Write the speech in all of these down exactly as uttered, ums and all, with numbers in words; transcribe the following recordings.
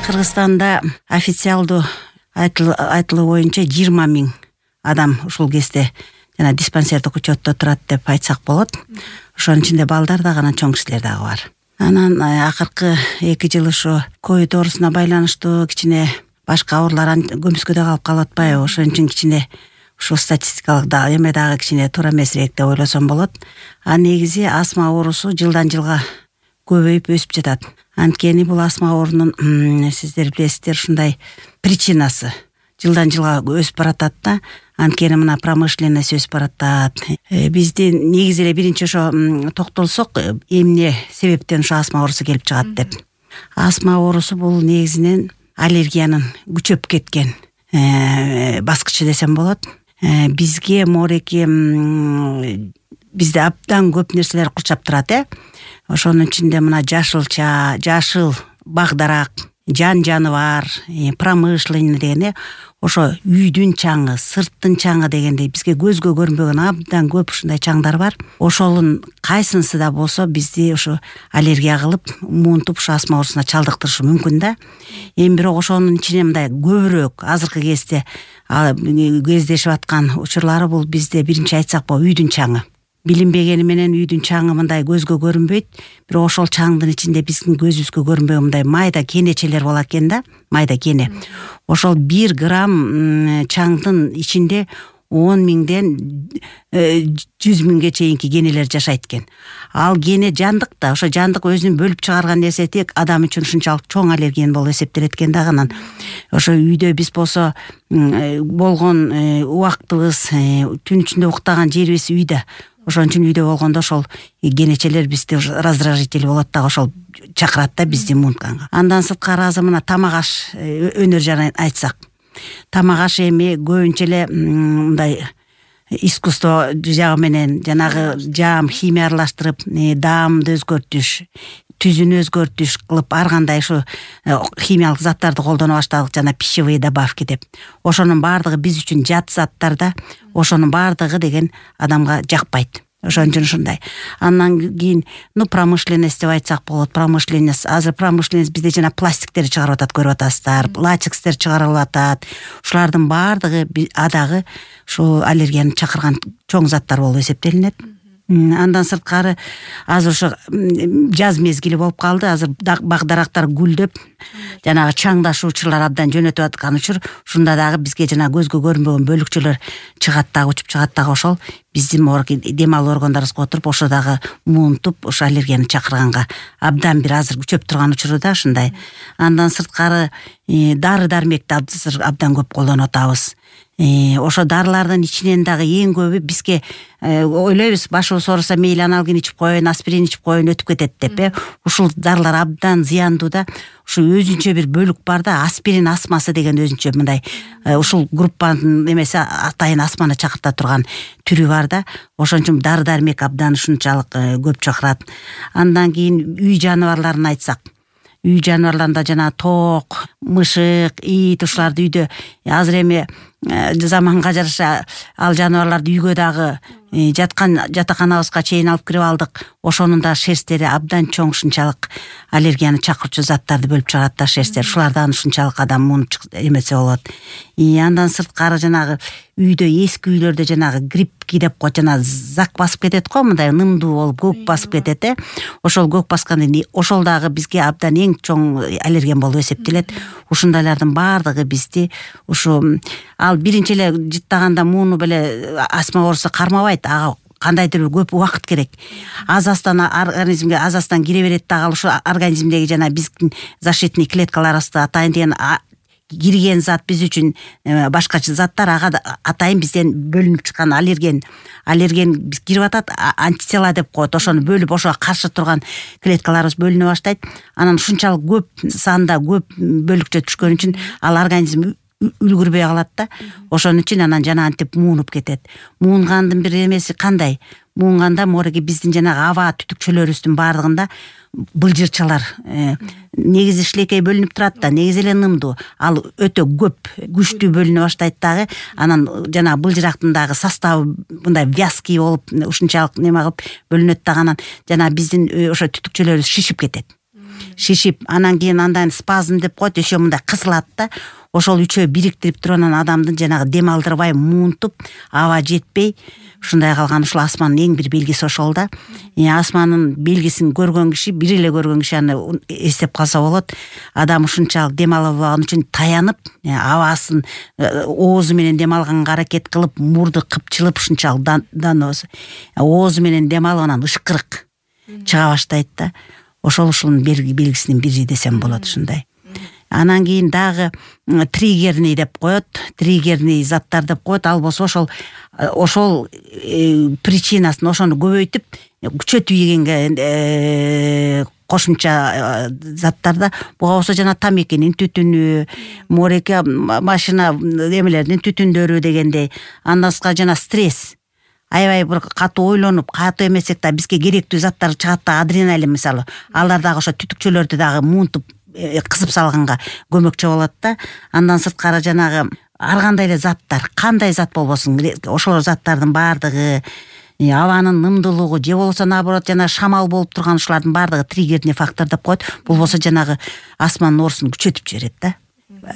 Кыргызстанда официалдуу айтылуу боюнча жыйырма миң адам ушул кезде жана диспансердик учетто турат деп айтсак болот. Ошонун ичинде балдар да гана чоң кишилер дагы бар. Анан акыркы эки жыл ушу ковид оорусуна байланыштуу кичине башка оорулар көмүскөдө калып калып атпайбы? Ошон үчүн кичине ушул статистикалык да эме дагы кичине туура эмесирээк деп ойлосом болот. А негизи астма оорусу жылдан жылга көбөйүп өсүп жатат. Анткени бул астма оорунун сиздер билесиздер ушундай причинасы жылдан жылга өсүп баратат да. Анткени мына промышленность өсүп баратат. Биздин негизи эле биринчи ошо токтолсок, эмне себептен ошо астма оорусу келип чыгат деп. Астма оорусу бул негизинен аллергиянын күчөп кеткен баскычы десем болот. Бизге мореки бизде абдан көп нерселер курчап турат, э. Ошонун ичинде мына жашылча, жашыл бак-дарак, жан-жаныбар, промышленный деген, ошо үйдүн чаңы, сырттын чаңы дегендей бизге көзгө көрүнбөгөн абдан көп ушундай чаңдар бар. Ошолун кайсынысы да болсо бизди ошо аллергия кылып, муунтуп ушу астма оорусуна чалдыктырышы мүмкүн да. Эми бирок ошонун ичине мындай көбүрөөк азыркы кезде кездешип аткан учурлары бул бизде биринчи айтсак болот, үйдүн чаңы. Билинбегени менен үйдүн чаңы мындай көзгө көрүнбөйт, бирок ошол чаңдын ичинде биздин көзүбүзгө көрүнбөгөн мындай майда кенечелер болот экен да, майда кене. Ошол бир грамм чаңдын ичинде он миңден жүз миңге чейинки кенелер жашайт экен. Ал кене жандык да, ошо жандык өзүн бөлүп чыгарган нерсе тек адам үчүн ушунчалык чоң аллерген болуп эсептелет экен да. Анан ошо үйдө биз болсо болгон убактыбыз, түн ичинде уктаган жерибиз үйдө. Ошон үчүн үйдө болгондо ошол кенечелер бизде раздражитель болот да, ошол чакырат да бизди муунтканга. Андан сырткары азыр мына тамак аш өнөр жана айтсак. Тамак аш эми көбүнчө эле мындай искусство жагы менен жанагы жаам химия аралаштырып, даамды өзгөртүш, түзүнү өзгөртүш кылып ар кандай ушу химиялык заттарды колдоно баштадык, жана пищевые добавки деп. Ошонун баардыгы биз үчүн жат заттар да. Ошонун баардыгы деген адамга жакпайт. Ошон үчүн ушундай. Андан кийин, ну промышленность деп айтсак болот. Промышленность, азыр промышленность бизде жана пластиктерди чыгарып атат, көрүп атасыздар. Латекстер чыгарылып атат. Ушулардын баардыгы адагы ушул аллергияны чакырган чоң заттар болуп эсептелинет. Андан сырткары азыр ошо жаз мезгили болуп калды. Азыр бак-дарактар гүлдөп, жанагы чаңдашуу учурлар абдан жөнөтүп аткан учур. Ушунда дагы бизге жана көзгө көрүнбөгөн бөлүкчөлөр чыгат дагы, учуп чыгат дагы. Ошол биздин дем алуу органдарыбызга отуруп, ошо дагы муунтуп, ошо аллергияны чакырганга абдан бир азыр күчөп турган учуру да ушундай. Андан сырткары дары-дармекти абдан көп колдонуп атабыз. Ошо дарылардын ичинен дагы эң көбү бизге ойлойбуз, башыбыз ооруса мейли аналгин ичип коеюн, аспирин ичип коеюн, өтүп кетет деп, э. Ушул дарылар абдан зыяндуу да. Ушу өзүнчө бир бөлүк бар да, аспирин астмасы деген өзүнчө мындай ушул группанын эмеси атайын астманы чакырта турган түрү бар да. Ошон үчүн дары-дармек абдан ушунчалык көп чакырат. Андан кийин үй жаныбарларын айтсак, үй жаныбарларында жана тоок, мышык, ит, ушуларды үйдө азыр эми заманга жараша ал жаныбарларды үйгө дагы жаткан жатаканабызга чейин алып кирип алдык. Ошонун да шерстери абдан чоң, ушунчалык аллергияны чакырчу заттарды бөлүп чыгарат да шерстер. Шулардан ушунчалык адам муунуп эмесе болот. И андан сырткары жанагы үйдө, эски үйлөрдө жанагы гриппки деп коет, жана зак басып кетет го, мындай нымдуу болуп көк басып кетет, э. Ошол көк баскандан кийин ошол дагы бизге абдан эң чоң аллерген болуп эсептелет. Ушундайлардын баардыгы бизди ушу ал биринчи эле жыттаганда мууну беле астма оорусу кармабайт. Ага кандайдыр көп убакыт керек. Аз-аздан организмге аз-аздан кире берет дагы, ушу организмдеги жана биздин защитный клеткаларыбызда атайын деген кирген зат биз үчүн башкача заттар, ага атайын бизден бөлүнүп чыккан аллерген аллерген биз кирип атат, антитела деп коет. Ошону бөлүп, ошого каршы турган клеткаларыбыз бөлүнө баштайт. Анан ушунчалык көп санда көп бөлүкчө түшкөн үчүн ал организм үлгүрбөй калат да. Ошон үчүн анан жана антип муунуп кетет. Муунгандын бир эмеси кандай? Муунганда мореги биздин жанагы аба түтүкчөлөрүбүздүн баардыгында былжырчалар негизи шилекей бөлүнүп турат да, негизи эле нымдуу. Ал өтө көп, күчтүү бөлүнө баштайт дагы. Анан жана былжырактын дагы составы мындай вязкий болуп, ушунчалык неме кылып бөлүнөт дагы. Анан жана биздин ошо түтүкчөлөрүбүз шишип кетет. шишип, анан кийин андан спазм деп коет, еще мындай кысылат да. Ошол үчөө бириктирип туруп анан адамдын жанагы дем алдырбай муунтуп, аба жетпей ушундай калган. Ушул астманын эң бир белгиси ошол да. Астманын белгисин көргөн киши, бир эле көргөн киши аны эстеп калса болот. Адам ушунчалык дем ала албаган үчүн таянып, абасын оозу менен дем алганга аракет кылып, мурду кыпчылып ушунчалык даноосу. Оозу менен дем алып анан ышкырык чыга баштайт да. Ошол ушунун белгисинин бири десем болот ушундай. Анан кийин дагы триггерный деп коет, триггерный заттар деп коет. Ал болсо ошол ошол причинасын ошону көбөйтүп, күчөтүп ийгенге кошумча заттарда. Буга болсо жана тамекинин түтүнү, мореке машина эмелердин түтүндөрү дегендей. Андан башка жана стресс. Аябай бир катуу ойлонуп, катуу эмесек да бизге керектүү заттар чыгат да, адреналин мисалы. Алар дагы ошо түтүкчөлөрдү дагы муунтуп кысып салганга көмөкчү болот да. Андан сырткары жанагы ар кандай эле заттар, кандай зат болбосун, ошол заттардын баардыгы, абанын нымдуулугу же болбосо наоборот жана шамал болуп турган ушулардын баардыгы триггерный фактор деп коет. Бул болсо жанагы астманын оорусун күчөтүп жиберет да.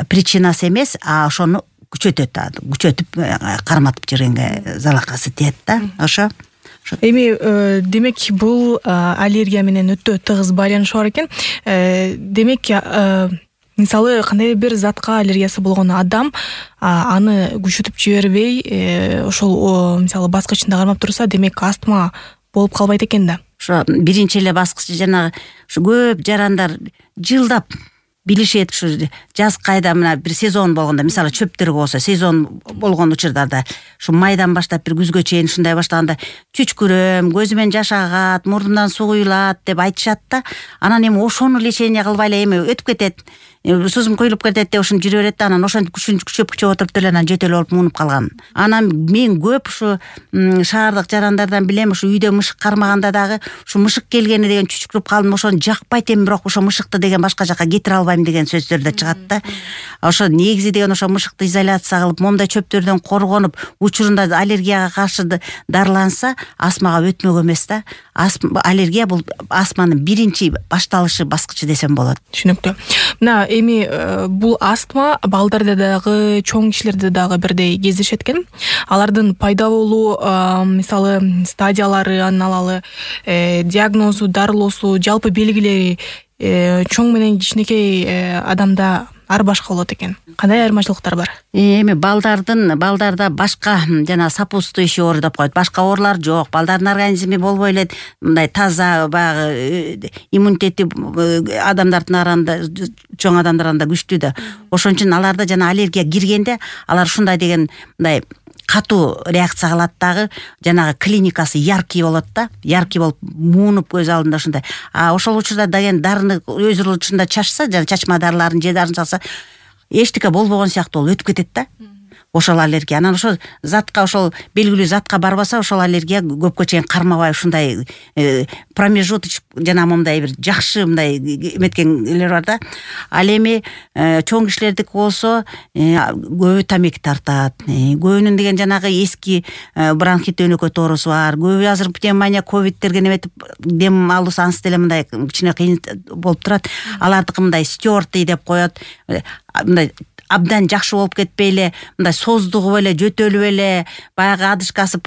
Причинасы эмес, а ошону күчөтөт, күчөтүп карматып жибергенге залакасы тиет да. Ошо эми демек бул аллергия менен өтө тыгыз байланышы бар экен. Демек мисалы кандай бир затка аллергиясы болгон адам аны күчөтүп жибербей ошол мисалы баскычында кармап турса, демек астма болуп калбайт экен да. Ошо биринчи эле баскычы жанагы ушу көп жарандар жылдап билишет. Ушу жаз кайда мына бир сезон болгондо, мисалы чөптөр болсо сезон болгон учурларда ушу майдан баштап бир күзгө чейин ушундай баштаганда чүчкүрөм, көзүмөн жаш агат, мурдумдан суу куюлат деп айтышат да. Анан эми ошону лечение кылбай эле эми өтүп кетет. Суусум куюлуп кетет деп ошону жүрө берет да, анан ошентип күчүн күчөп күчөп отуруп деле анан жөтөлүп алып муунуп калган. Анан мен көп ушу шаардык жарандардан билем, ушу үйдө мышык кармаганда дагы ушу мышык келгени деген чүчкүрүп калдым, ошону жакпайт эми, бирок ошо мышыкты деген башка жака кетире албайм деген сөздөр да чыгат да. Ошо негизи деген ошо мышыкты изоляция кылып, момундай чөптөрдөн коргонуп, учурунда аллергияга каршы дарыланса, астмага өтмөк эмес да. Аллергия бул астманын биринчи башталышы баскычы десем болот. Түшүнүктүү. Мына эми бул астма балдарда дагы, чоң кишилерде дагы бирдей кездешет экен. Алардын пайда болуу мисалы стадияларын алалы, диагнозу, дарылоосу, жалпы белгилери чоң менен кичинекей адамда ар башка болот экен. Кандай айырмачылыктар бар? Эми балдардын балдарда башка жана сопутствующий оор деп коет. Башка оорлор жок. Балдардын организми болбой эле мындай таза, баягы иммунитети адамдардын арасында, чоң адамдар арасында күчтүү да. Ошон үчүн аларда жана аллергия киргенде алар ушундай деген мындай катуу реакция кылат дагы, жанагы клиникасы яркий болот да, яркий болуп муунуп көз алдында ушундай. А ошол учурда деген дарыны өз учурунда чачса, жана чачма дарыларын же дарын чалса, эчтеке болбогон сыяктуу болуп өтүп кетет да. Ошол аллергия. Анан ошол затка, ошол белгилүү затка барбаса, ошол аллергия көпкө чейин кармабай ушундай промежуточ жана мындай бир жакшы мындай эметкенлер бар да. Ал эми чоң кишилердики болсо көбү тамеки тартат. Көбүнүн деген жанагы эски бронхит өнөкөт оорусу бар. Көбү азыр пневмония, ковидтерге неметип дем алуусу ансы деле мындай кичине кыйын болуп турат. Алардыкы мындай стертый деп коет. Мындай абдан жакшы болуп кетпей эле, мындай создугуп эле, жөтөлүп эле, баягы адышкасы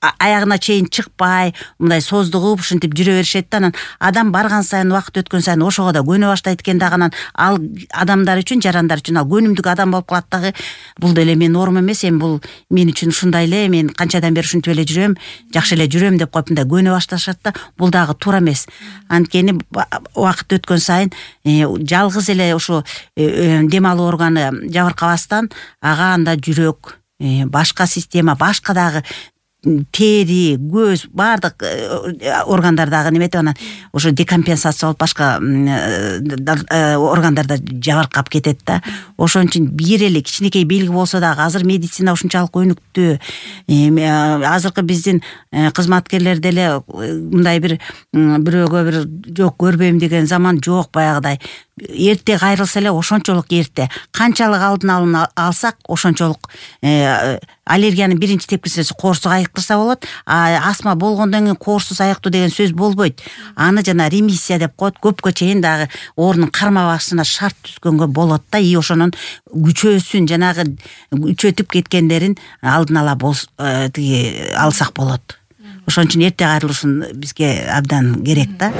аягына чейин чыкпай, мындай создугуп ушинтип жүрө беришет да. Анан адам барган сайын, убакыт өткөн сайын ошого да көнө баштайт экен дагы. Анан ал адамдар үчүн, жарандар үчүн ал көнүмдүк адам болуп калат дагы. Бул деле мен норма эмес, эми бул мен үчүн ушундай эле, мен канчадан бери ушинтип эле жүрөм, жакшы эле жүрөм деп коюп мындай көнө башташат да. Бул дагы туура эмес. Анткени убакыт өткөн сайын жалгыз эле ушу дем алуу органы жабыркабастан ага анда жүрөк, башка система, башка дагы тери, көз, баардык органдардагы неметип анан ошо декомпенсация болуп башка органдарда жабыркап кетет да. Ошон үчүн бир эле кичинекей белги болсо дагы, азыр медицина ушунчалык өнүктү. Азыркы биздин кызматкерлер деле мындай бир бирөөгө бир жок көрбөйм деген заман жок баягыдай. Эрте кайрылса эле ошончолук эрте. Канчалык алдын алып алсак, ошончолук аллергиянын биринчи тепкичеси коорсук айыктырса болот. А астма болгондон кийин коорсуз айыктоо деген сөз болбойт. Аны жана ремиссия деп коет. Көпкө чейин дагы оорунун карма басышына шарт түзгөнгө болот да. И ошонун күчөөсүн жанагы күчөтүп кеткендерин алдын ала тиги алсак болот. Ошон үчүн эрте кайрылышын бизге абдан керек да.